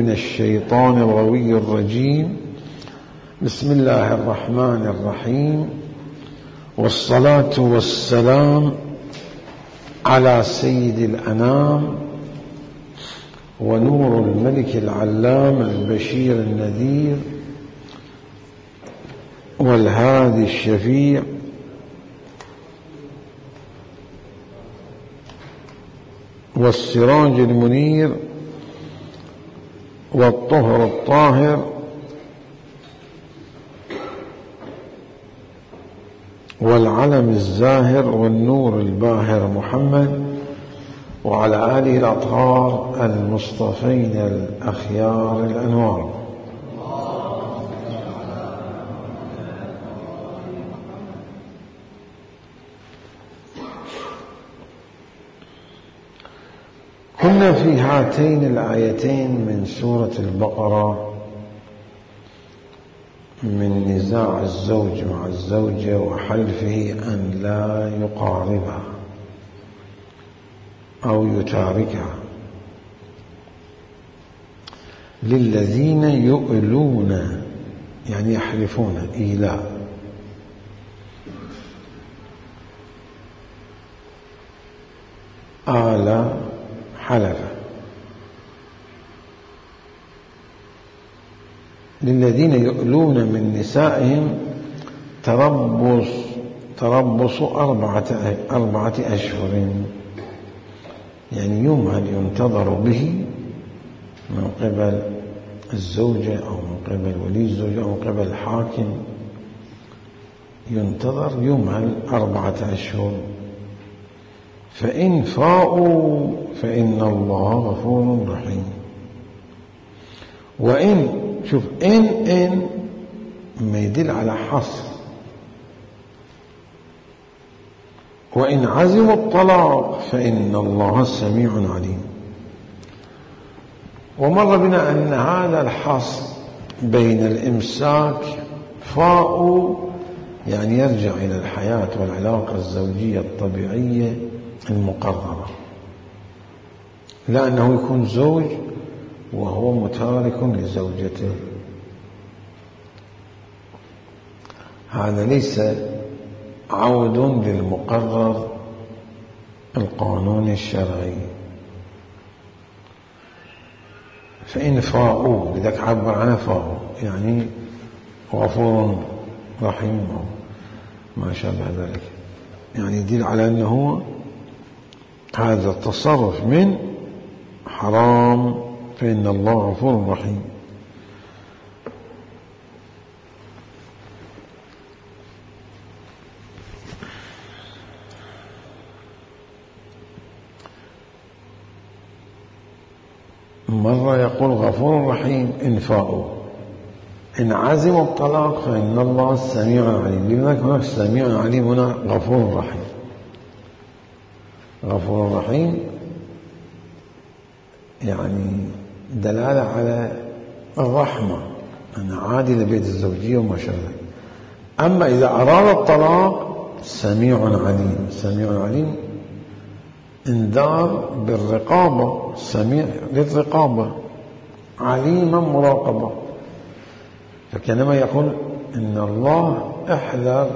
من الشيطان الغوي الرجيم. بسم الله الرحمن الرحيم، والصلاة والسلام على سيد الأنام ونور الملك العلام البشير النذير والهادي الشفيع والسراج المنير والطهر الطاهر والعلم الزاهر والنور الباهر محمد وعلى آله الأطهار المصطفين الأخيار الأنوار. كنا في هاتين الآيتين من سورة البقرة من نزاع الزوج مع الزوجة وحلفه أن لا يقاربها أو يتاركها، للذين يؤلون يعني يحلفون إيلاء، آل حلف، للذين يؤلون من نسائهم تربص 4 أشهر، يعني يمهل ينتظر به من قبل الزوجة أو من قبل ولي الزوجة أو من قبل الحاكم، ينتظر يمهل 4 أشهر، فإن فاءوا فإن الله غفور رحيم. وإن شوف إن ما يدل على حصر، وإن عزموا الطلاق فإن الله سميع عليم. ومر بنا أن هذا الحصر بين الإمساك فاء يعني يرجع إلى الحياة والعلاقة الزوجية الطبيعية المقررة، لا أنه يكون زوج وهو متارك لزوجته، هذا ليس عود للمقرر القانوني الشرعي. فإن فاءوا لذلك عبر عنه فاءوا يعني غفور رحيم ما شابه ذلك، يعني يدل على أنه هذا التصرف من حرام، فإن الله غفور رحيم. مرة يقول غفور رحيم إن فاءوا، إن عزموا الطلاق فإن الله سميع عليم. لذلك هناك سميع عليم، هنا غفور رحيم. غفور رحيم يعني دلالة على الرحمة، أن عادل بيت الزوجية وما شابه. أما إذا أراد الطلاق سميع عليم، سميع عليم انذار بالرقابة، سميع للرقابة، عليما مراقبة. فكانما يقول إن الله احذر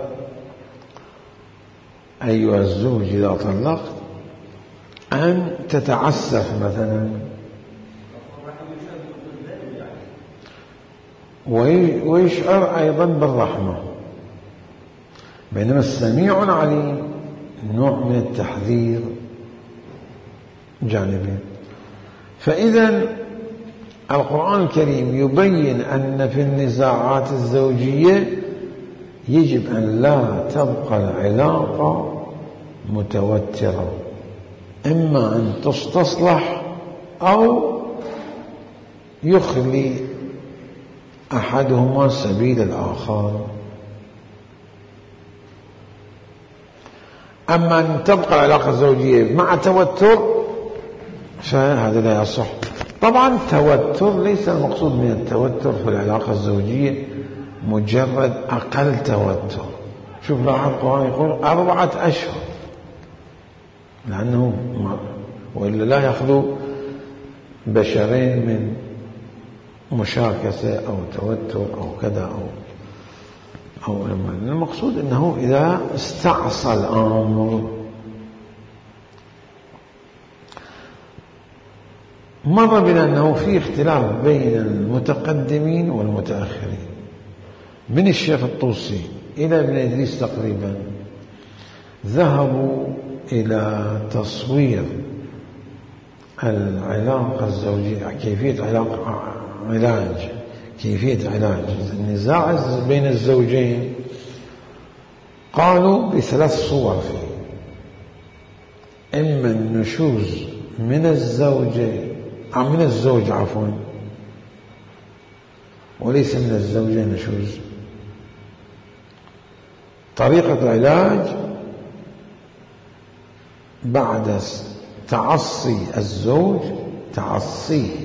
أيها الزوج إذا طلقت أن تتعسف مثلا، ويشعر أيضا بالرحمة. بينما السميع عليم نوع من التحذير جانبين. فإذا القرآن الكريم يبين أن في النزاعات الزوجية يجب أن لا تبقى العلاقة متوترة، إما أن تستصلح أو يخلي أحدهما سبيل الآخر. أما أن تبقى العلاقة الزوجية مع توتر فهذا لا يصح. طبعا التوتر ليس المقصود من التوتر في العلاقة الزوجية مجرد أقل توتر. شوف لاحظ القرآن يقول 4 أشهر، لأنه وإلا لا يخلو بشرين من مشاكسة أو توتر أو كذا أو المقصود أنه إذا استعصى الأمر. مر بنا أنه في اختلاف بين المتقدمين والمتأخرين، من الشيخ الطوسي إلى ابن إدريس تقريبا ذهبوا إلى تصوير العلاقة الزوجية، كيفية علاج النزاع بين الزوجين. قالوا بثلاث صور فيه: إما النشوز من الزوج وليس من الزوجة نشوز. طريقة العلاج بعد تعصي الزوج، تعصيه،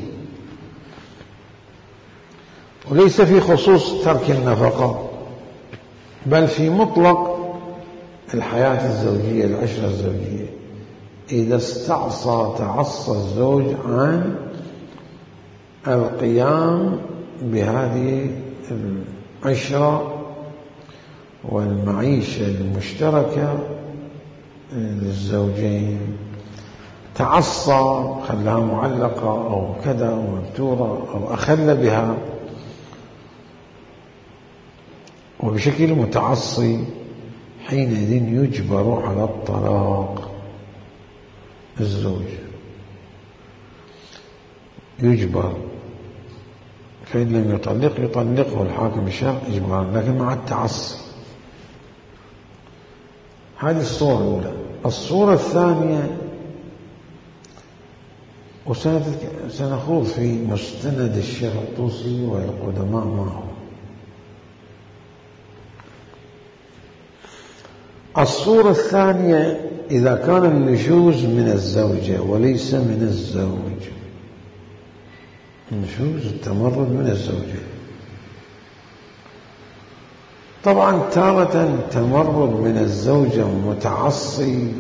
وليس في خصوص ترك النفقة بل في مطلق الحياة الزوجية، العشرة الزوجية. إذا تعصى الزوج عن القيام بهذه العشرة والمعيشة المشتركة للزوجين، تعصى، خلاها معلقة أو كذا أو مبتورة أو أخل بها، وبشكل متعصي، حينئذ يجبر على الطلاق. الزوج يجبر، فإن لم يطلقه الحاكم الشرعي إجبارا، لكن مع التعصي. هذه الصورة الأولى. الصورة الثانية، وسنخوض في مستند الشيخ الطوسي والقدماء معه. الصورة الثانية: إذا كان النشوز من الزوجة وليس من الزوج، النشوز التمرد من الزوجة. طبعا تارة تمرد من الزوجة متعصي،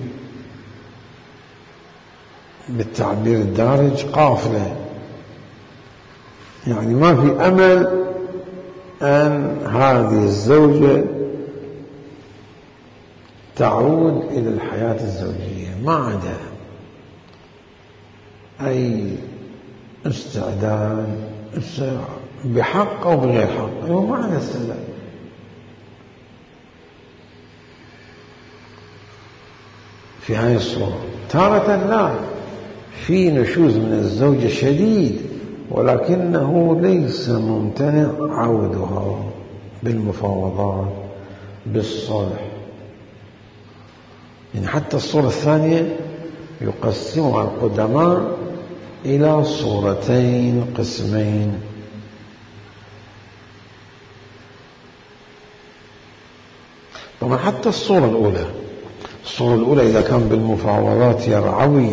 بالتعبير الدارج قافلة، يعني ما في أمل أن هذه الزوجة تعود إلى الحياة الزوجية، ما عدا أي استعداد بحق أو بغير حق، هو ما عدا استعداد. في هذه الصورة تارة لا، في نشوز من الزوجة شديد ولكنه ليس ممتنع عودها بالمفاوضات بالصلح. يعني حتى الصورة الثانية يقسمها القدماء إلى صورتين، قسمين. طبعا حتى الصورة الأولى إذا كان بالمفاوضات يرعوي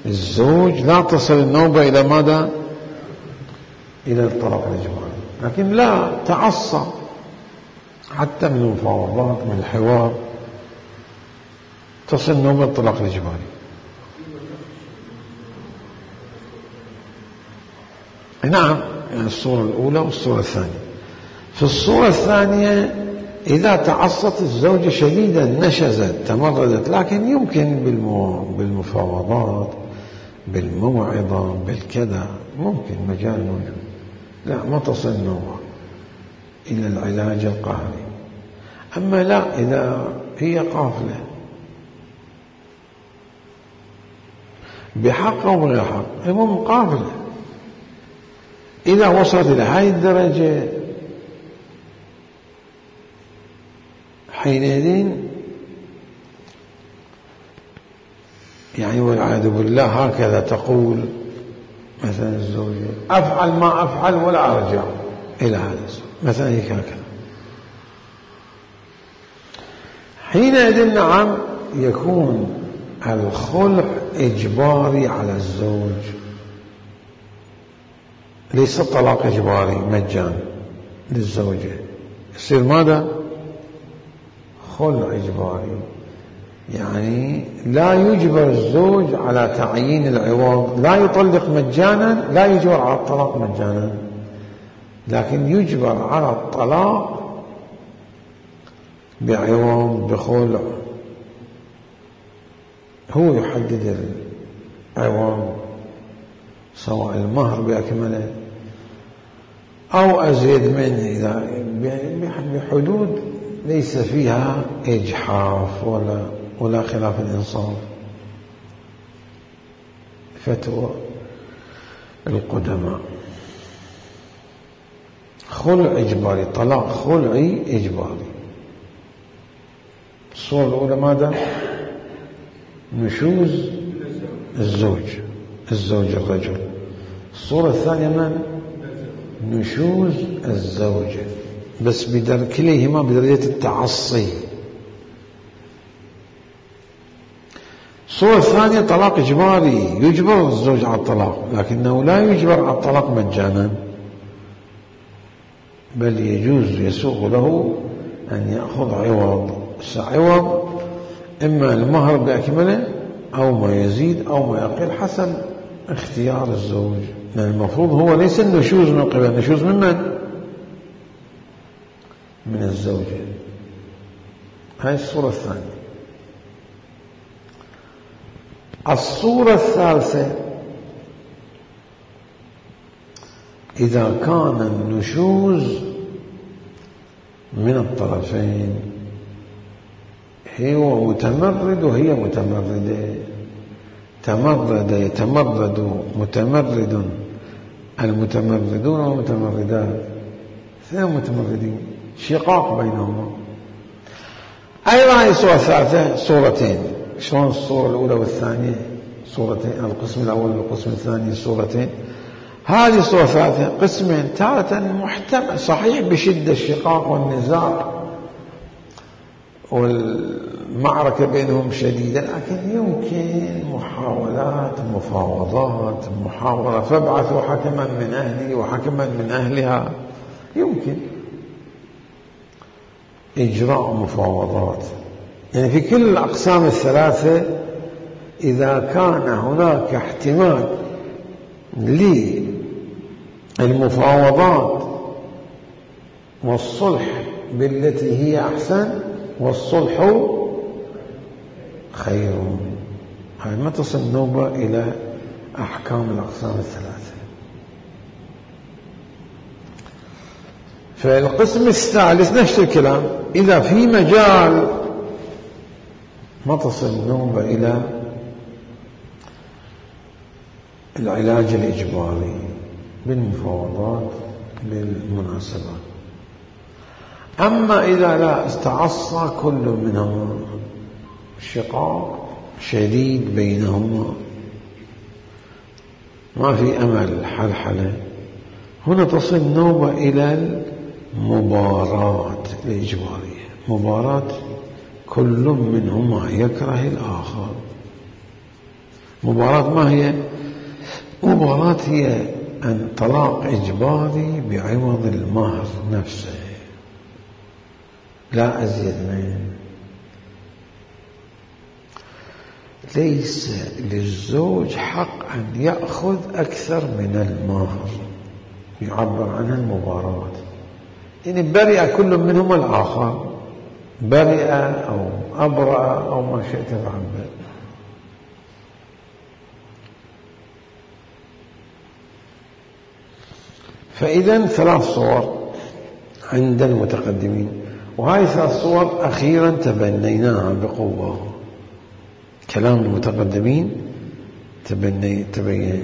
الزوج لا تصل النوبة إلى ماذا؟ إلى الطلاق الإجباري، لكن لا، تعصى حتى من المفاوضات، من الحوار، تصل نوبة الطلاق الإجباري. نعم، يعني الصورة الأولى والصورة الثانية. في الصورة الثانية إذا تعصت الزوجة شديدا، نشزت، تمردت، لكن يمكن بالمفاوضات، بالموعظة، بالكذا، ممكن مجال موجود، لا ما تصل نوبة إلى العلاج القهري. أما لا، إذا هي قافلة بحق أو بغير حق، المهم قافلة، إذا وصلت إلى هذه الدرجة حينئذ يعني والعياذ بالله هكذا تقول مثلا الزوجة: أفعل ما أفعل ولا أرجع إلى هذا مثلا، هيك هكذا. حينئذ نعم يكون الخلع إجباري على الزوج، ليس الطلاق إجباري مجان للزوجة. يصير ماذا؟ خلع إجباري، يعني لا يجبر الزوج على تعيين العوض، لا يطلق مجانا، لا يجبر على الطلاق مجانا، لكن يجبر على الطلاق بعوض، بخلع، هو يحدد العوض، سواء المهر بأكمله أو أزيد منه، إذا بحدود ليس فيها إجحاف ولا خلاف الإنصاف. فتوى القدماء. خلع إجباري، طلاق خلعي إجباري. الصورة الأولى ماذا؟ نشوز الزوج الرجل. الصورة الثانية من؟ نشوز الزوجة، بس كليهما بدرجة التعصي. الصورة الثانية طلاق إجباري، يجبر الزوج على الطلاق، لكنه لا يجبر على الطلاق مجانا، بل يجوز يسوغ له أن يأخذ عوض. عوض إما المهر بأكمله أو ما يزيد أو ما يقل حسب اختيار الزوج، لأن المفروض هو ليس النشوز من قبل، النشوز من؟ من الزوجة. هاي الصورة الثانية. الصورة الثالثة إذا كان النشوز من الطرفين، هو متمرد وهي متمردة، يتمرد متمرد، المتمردون والمتمردات، اثنين متمردين، شقاق بينهما. أيضا هي الصورة الثالثة صورتين. شلون الصورة الأولى والثانية صورتين، القسم الأول والقسم الثاني صورتين، هذه الصورة الثالثة قسمين، تارة محتمل صحيح بشدة الشقاق والنزاع والمعركة بينهم شديدة، لكن يمكن محاولات، مفاوضات، محاورة، فابعثوا حكما من أهلي وحكما من أهلها، يمكن إجراء مفاوضات. يعني في كل الأقسام الثلاثة إذا كان هناك احتمال للمفاوضات والصلح بالتي هي أحسن، والصلح خير، هاي ما تصل نوبة إلى أحكام الأقسام الثلاثة. فالقسم الثالث نفس الكلام، إذا في مجال ما تصل نوبة إلى العلاج الإجباري بالمفاوضات بالمناسبات. أما إذا لا استعصى كل منهما، شقاق شديد بينهما، ما في أمل حلحلة، هنا تصل نوبة إلى المباراة الإجبارية، مباراة كل منهما يكره الآخر. مباراة ما هي؟ مباراة هي أن طلاق إجباري بعوض المهر نفسه، لا أزيد منه. ليس للزوج حق أن يأخذ أكثر من المهر، يعبر عنها المباراة، يعني برئ كل منهما الآخر، برئ أو أبرأ أو ما شئت تعبر. فإذا ثلاث صور عند المتقدمين، وهذه ثلاث صور أخيرا تبنيناها بقوة. كلام المتقدمين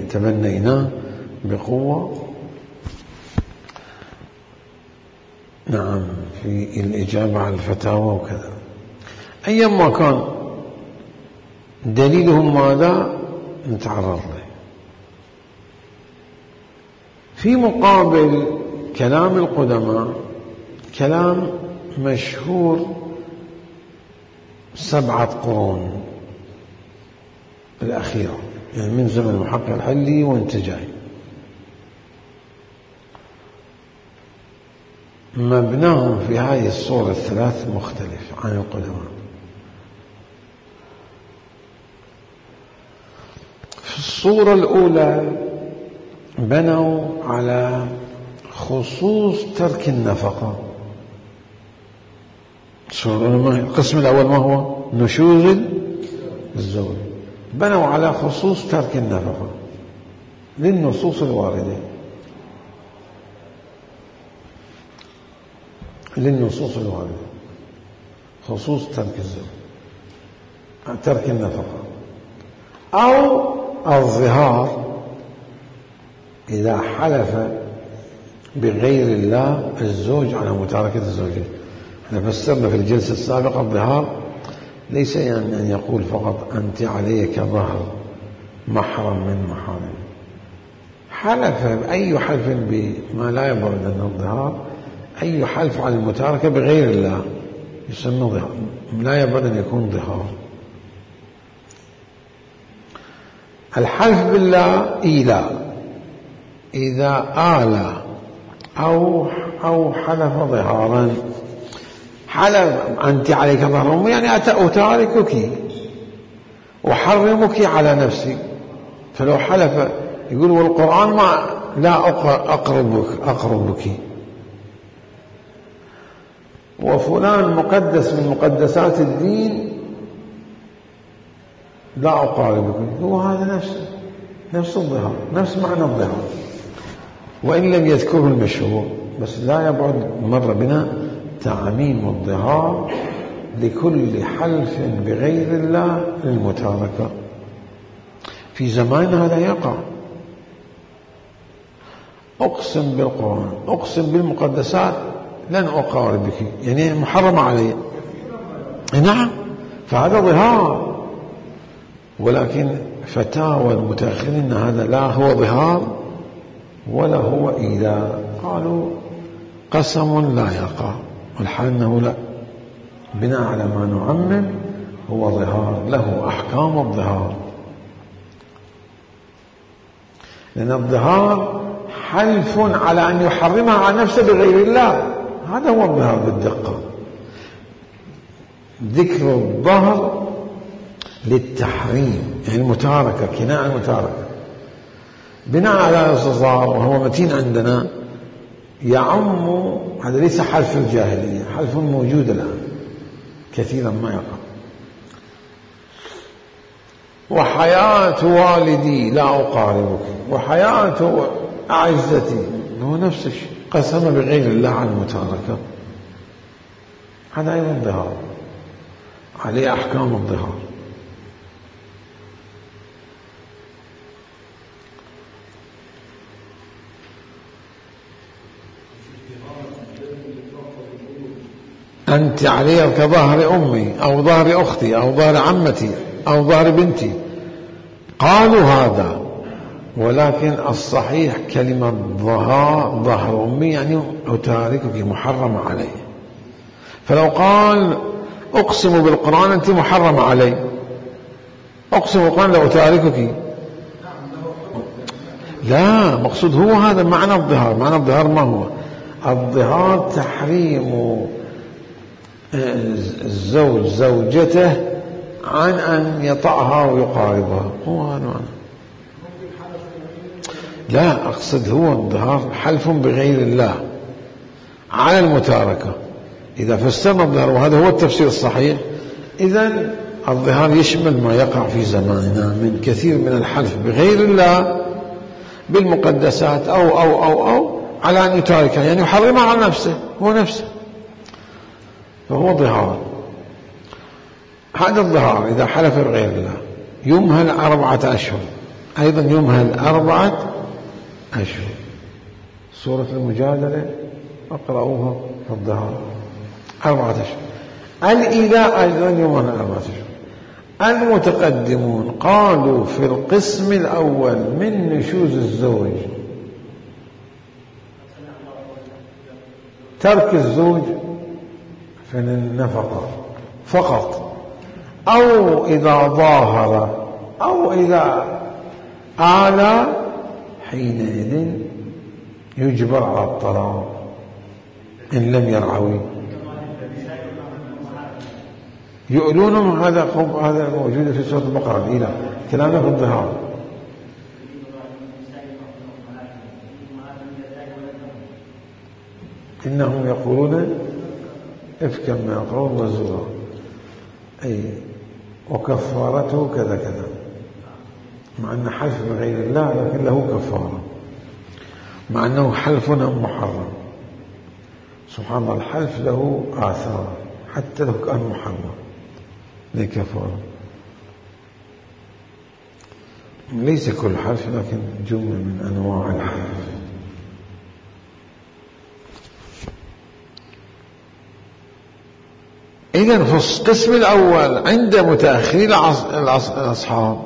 تبنيناه بقوة، نعم، في الإجابة على الفتاوى وكذا. أيما كان دليلهم ماذا نتعرض له. في مقابل كلام القدماء كلام مشهور 7 قرون الأخيرة، يعني من زمن المحقق الحلي وانت جاي، مبناهم في هذه الصورة الثلاث مختلف عن القدماء. في الصورة الأولى بنوا على خصوص ترك النفقة. القسم الأول ما هو؟ نشوز الزوج، بنوا على خصوص ترك النفقة للنصوص الواردة، خصوص ترك الزوج، ترك النفقة أو الظهار إذا حلف بغير الله الزوج على متاركة الزوجين. احنا فسرنا في الجلسة السابقة الظهار ليس يعني أن يقول فقط أنت علي كظهر محرم من محارم، حلف أي حلف بما لا يبرد أنه الظهار، أي حلف على المتاركة بغير الله يسمى ظهار، لا يبرد أن يكون ظهار. الحلف بالله إيلاء، إذا آلى أو حلف ظهارا، حلف أنت عليك ظهر يعني أتاركك وحرمك على نفسي، فلو حلف يقول والقرآن ما لا أقربك، وفلان مقدس من مقدسات الدين لا أقاربك، هو هذا نفس الظهار، نفس معنى الظهار، وإن لم يذكره المشهور، بس لا يبعد مر بنا تعميم الظهار لكل حلف بغير الله للمتاركة. في زماننا هذا يقع، أقسم بالقرآن، أقسم بالمقدسات لن أقاربك، يعني محرم علي، نعم، فهذا ظهار. ولكن فتاوى المتأخرين أن هذا لا هو ظهار ولا هو إيلاء، قالوا قسم لا يقع، والحال أنه لا، بناء على ما نعمم هو ظهار، له أحكام الظهار، لأن الظهار حلف على أن يحرمها على نفسه بغير الله، هذا هو الظهار بالدقة. ذكر الظهر للتحريم، يعني المتاركة، كناية المتاركة بناء على الاستصغار، وهو متين عندنا، يعم، هذا ليس حلف الجاهلية، حلف موجود الآن كثيرا ما يقع. وحياة والدي لا أقاربك، وحياة أعزتي، هو نفس الشيء، قسم بغير الله عن المتاركة، هذا أيضا ظهار، عليه أحكام الظهار. أنت علي كظهر أمي أو ظهر أختي أو ظهر عمتي أو ظهر بنتي، قالوا هذا، ولكن الصحيح كلمة ظهر أمي يعني أتاركك، محرم علي. فلو قال أقسم بالقرآن أنت محرم علي، أقسم بالقرآن لو أتاركك، لا، مقصود هو هذا معنى الظهار. معنى الظهار ما هو؟ الظهار تحريم الزوج زوجته عن أن يطأها ويقاربها، هو هذا معنى. لا، أقصد هو الظهار حلف بغير الله على المتاركة. إذا فسرنا الظهار وهذا هو التفسير الصحيح، إذن الظهار يشمل ما يقع في زماننا من كثير من الحلف بغير الله بالمقدسات أو على أن يتاركها، يعني يحرمها على نفسه، هو نفسه، فهو ظهار. هذا الظهار إذا حلف بغير الله يمهل 4 أشهر، أيضا يمهل 4 أشهر. سورة المجادلة اقرأوها في الظهار 4 أشهر. الإيلاء أيضا يمهل 4 أشهر. المتقدمون قالوا في القسم الأول من نشوز الزوج ترك الزوج في النفقة فقط، أو إذا ظاهر أو إذا آلى، حينئذ يجبر على الطلاق إن لم يرعوي. يؤلونهم، هذا موجود في سورة البقرة. الإله كلامنا في الظهار. إنهم يقولون إفكا ما يقولون وزورا، أي وكفارته كذا كذا، مع أن حلف بغير الله لكن له كفارة، مع أنه حلف محرم. سبحان الله، الحلف له آثار حتى لو كان محرم له كفارة. ليس كل حلف لكن جملة من أنواع الحلف. إذن في القسم الأول عند متأخري الأصحاب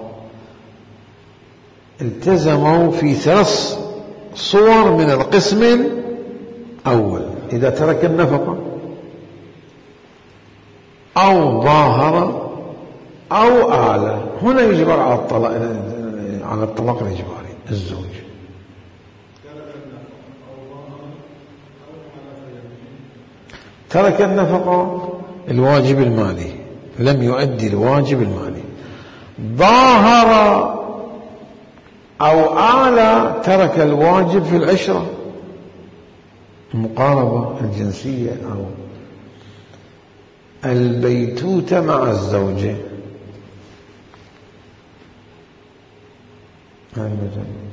التزموا في 3 صور من القسم الأول: إذا ترك النفقة أو ظاهر أو آلة. هنا يجبر على الطلاق الإجباري الزوج. ترك النفقة الواجب المالي، لم يؤدي الواجب المالي. ظاهر أو آلة، ترك الواجب في العشرة، المقاربة الجنسية أو البيتوتة مع الزوجة.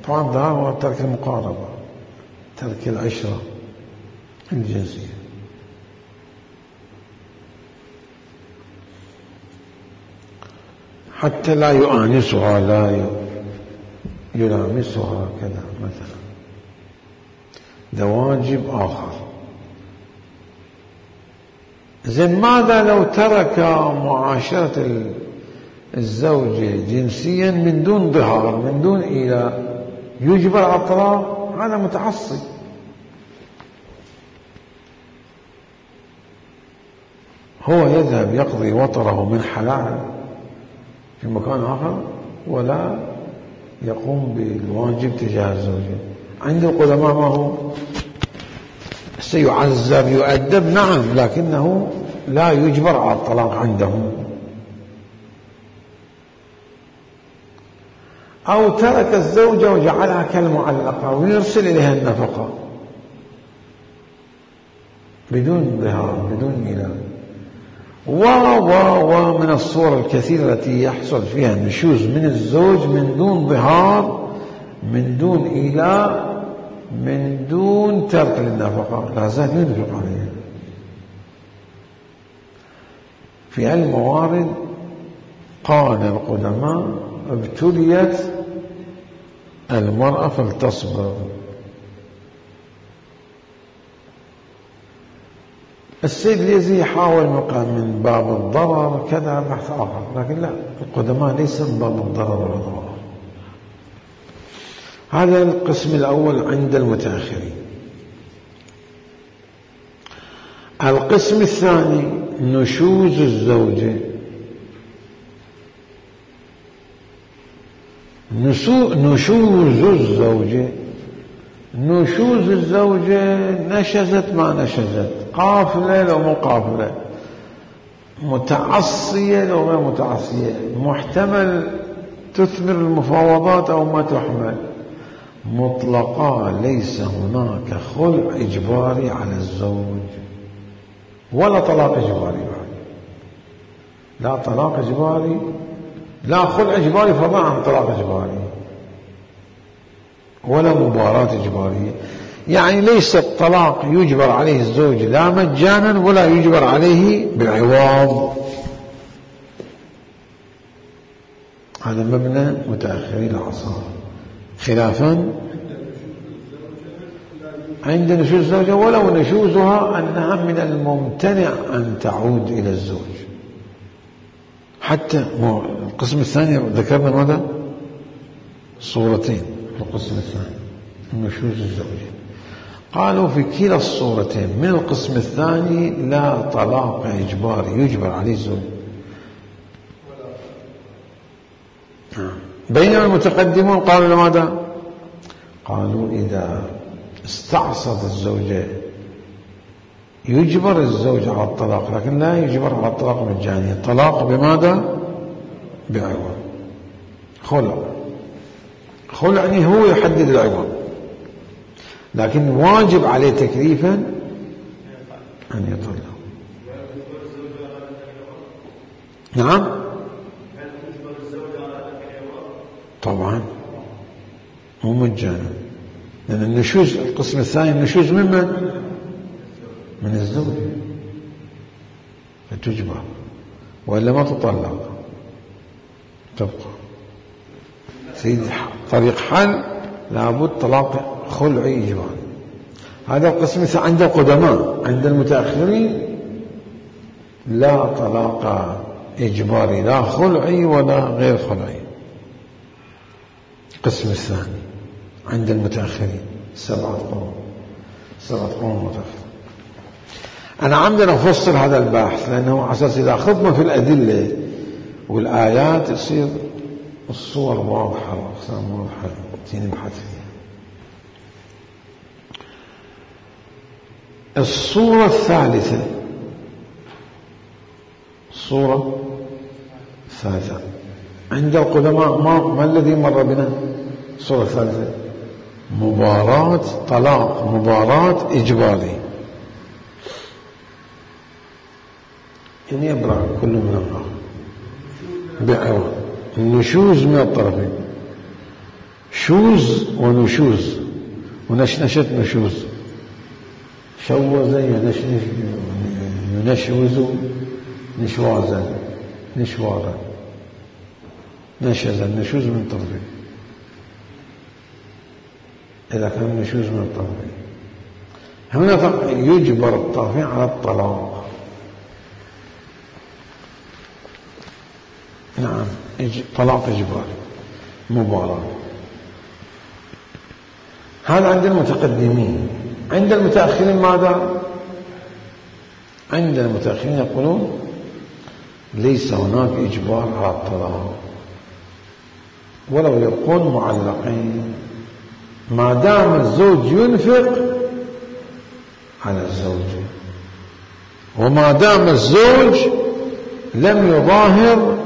طبعا ظاهر ترك المقاربة، ترك العشرة الجنسية. حتى لا يؤانسها، لا يلامسها كذا مثلا، ده واجب آخر. زين، ماذا لو ترك معاشرة الزوجة جنسيا من دون ظهار، من دون إيلاء، يجبر على الطلاق؟ هذا متعصب. هو يذهب يقضي وطره من حلال في مكان آخر ولا يقوم بالواجب تجاه الزوجة. عند القدماء ما هو سيعذب يؤدب، نعم، لكنه لا يجبر على الطلاق عندهم. أو ترك الزوجة وجعلها كالمعلقة ويرسل إليها النفقة بدون ظهار، بدون ميلاد. ومن الصور الكثيرة التي يحصل فيها النشوز من الزوج من دون ظهار، من دون إيلاء، من دون ترك للنفقة، لا زال ينفق عليها. في هالموارد قال القدماء: ابتليت المرأة فلتصبر. السيد اليزي حاول من باب الضرر كذا بحث آخر، لكن لا، القدماء ليس من باب الضرر والضرر. هذا القسم الأول عند المتأخرين. القسم الثاني نشوز الزوجة. نشوز الزوجة، نشوز الزوجة، نشزت ما نشزت، قافلة لو مو قافلة، متعصية لو غير متعصية، محتمل تثمر المفاوضات أو ما تحمل، مطلقا. ليس هناك خلع إجباري على الزوج ولا طلاق إجباري بعد. لا طلاق إجباري، لا خلع إجباري فضلا عن طلاق إجباري، ولا مباراة إجبارية. يعني ليس الطلاق يجبر عليه الزوج لا مجانا ولا يجبر عليه بالعوض. هذا مبنى متأخري العصر، خلافا عند نشوز الزوجة، ولو نشوزها أنها من الممتنع أن تعود إلى الزوج. حتى القسم الثاني ذكرنا ماذا؟ صورتين في القسم الثاني نشوز الزوجة. قالوا في كلا الصورتين من القسم الثاني لا طلاق إجباري يجبر عليه الزوج. بينما المتقدمون قالوا ماذا؟ قالوا إذا استعصت الزوجة يجبر الزوج على الطلاق، لكن لا يجبر على الطلاق مجاني. الطلاق بماذا؟ بعوض. خلع يعني هو يحدد العوض، لكن واجب عليه تكليفا أن يطلق. نعم طبعا مو مجانا، لأن النشوز القسم الثاني النشوز من الزوج، فتجبر وإلا ما تطلق تبقى. سيدي طريق حل لابد طلاق خلعي إجباري. هذا القسم الثاني عند القدماء. عند المتأخرين لا طلاق إجباري، لا خلعي ولا غير خلعي. القسم الثاني عند المتأخرين 7 قرون متأخر. أنا عمدا أفصل هذا البحث لأنه على أساس إذا أخذنا في الأدلة والآيات يصير الصور واضحة والأقسام واضحة نبحث فيها. الصورة الثالثة عند القدماء ما الذي مر بنا؟ الصورة الثالثة طلاق مباراة إجباري، يعني يبرع كل من الآخر بعوض النشوز من الطرفين، شوز ونشوز، ونشنشت نشوز، شوز ينشوز نشوازا نشوارا، نشز النشوز من طرفين. إذا كان النشوز من الطرفين هنا يجبر الطرفين على الطلاق. نعم طلاق إجباري مباراة. هذا عند المتقدمين. عند المتأخرين ماذا؟ عند المتأخرين يقولون ليس هناك إجبار على الطلاق ولو يكون معلقين، ما دام الزوج ينفق على الزوجة، وما دام الزوج لم يظاهر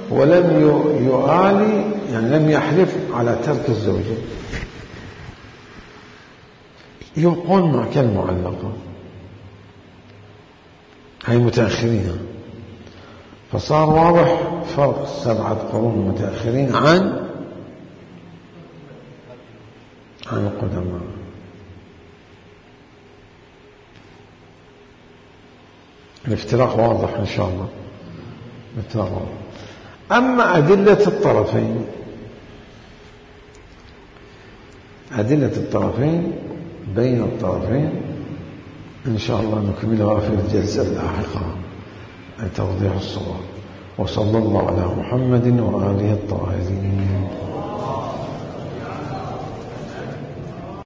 ولم يؤالي، يعني لم يحلف على ترك الزوجة، يبقون مع كالمعلقة. هاي متأخرين. فصار واضح فرق 7 قرون متأخرين عن القدماء. الافتراق واضح إن شاء الله. الافتراق واضح. أما أدلة الطرفين بين الطرفين إن شاء الله نكملها في الجلسة اللاحقة توضيح الصور. وصلى الله على محمد وآله الطاهرين.